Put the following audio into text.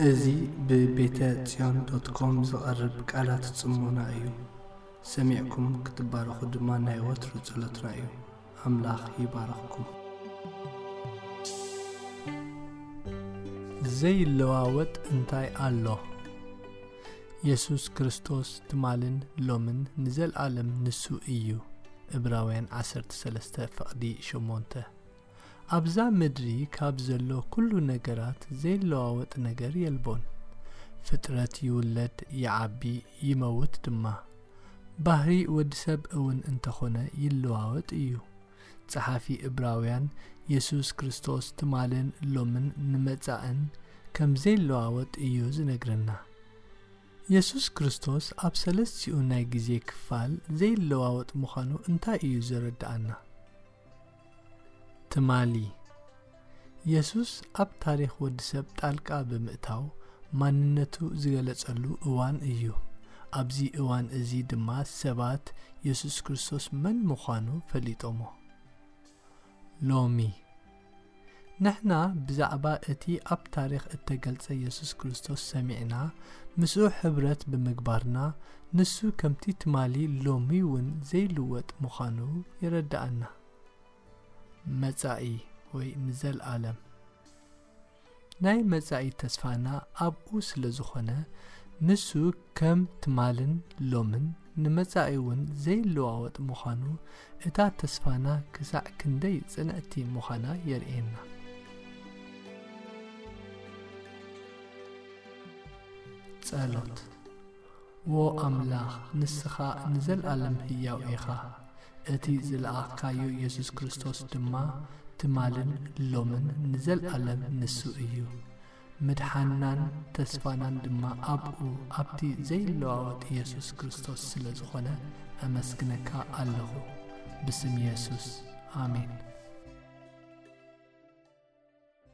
እዚ ብቤተ ጽዮን ዶት ኮም ዝቐርብ ቃላት ጽሞና እዩ። ሰሚዕኩም ክትባረኹ ድማ ናይ ወትሩ ጸሎትና እዩ። ኣምላኽ ይባርኽኩም። ዘይለዋወጥ እንታይ ኣሎ? የሱስ ክርስቶስ ትማልን ሎምን ንዘለኣለም ንሱ እዩ። ዕብራውያን ዓሰርተ ሰለስተ ፍቕዲ ሸሞንተ። ኣብዛ ምድሪ ካብ ዘሎ ኩሉ ነገራት ዘይለዋወጥ ነገር የልቦን። ፍጥረት ይውለድ፣ ይዓቢ፣ ይመውት ድማ። ባህሪ ወዲ ሰብ እውን እንተኾነ ይለዋወጥ እዩ። ጸሓፊ ዕብራውያን የሱስ ክርስቶስ ትማልን ሎምን ንመጻእን ከም ዘይለዋወጥ እዩ ዝነግረና። የሱስ ክርስቶስ ኣብ ሰለስቲኡ ናይ ግዜ ክፋል ዘይለዋወጥ ምዃኑ እንታይ እዩ ዘረድኣና? ትማሊ፣ የሱስ ኣብ ታሪኽ ወዲ ሰብ ጣልቃ ብምእታው ማንነቱ ዝገለጸሉ እዋን እዩ። ኣብዚ እዋን እዚ ድማ ሰባት የሱስ ክርስቶስ መን ምዃኑ ፈሊጦሞ። ሎሚ፣ ንሕና ብዛዕባ እቲ ኣብ ታሪኽ እተገልጸ የሱስ ክርስቶስ ሰሚዕና፣ ምስኡ ሕብረት ብምግባርና፣ ንሱ ከምቲ ትማሊ ሎሚ እውን ዘይልወጥ ምዃኑ የረድኣና። መጻኢ ወይ ንዘለኣለም። ናይ መጻኢ ተስፋና ኣብኡ ስለ ዝኾነ፣ ንሱ ከም ትማልን ሎምን ንመጻኢ እውን ዘይለዋወጥ ምዃኑ፣ እታ ተስፋና ክሳዕ ክንደይ ጽንዕቲ ምዃና የርእየና። ጸሎት። ዎ ኣምላኽ፣ ንስኻ ንዘለኣለም ህያው ኢኻ። እቲ ዝለኣኽካዮ የሱስ ክርስቶስ ድማ ትማልን ሎምን ንዘለኣለም ንሱ እዩ። ምድሓንናን ተስፋናን ድማ ኣብኡ፣ ኣብቲ ዘይለዋወጥ የሱስ ክርስቶስ ስለ ዝኾነ፣ ኣመስግነካ ኣለኹ። ብስም የሱስ፣ ኣሜን።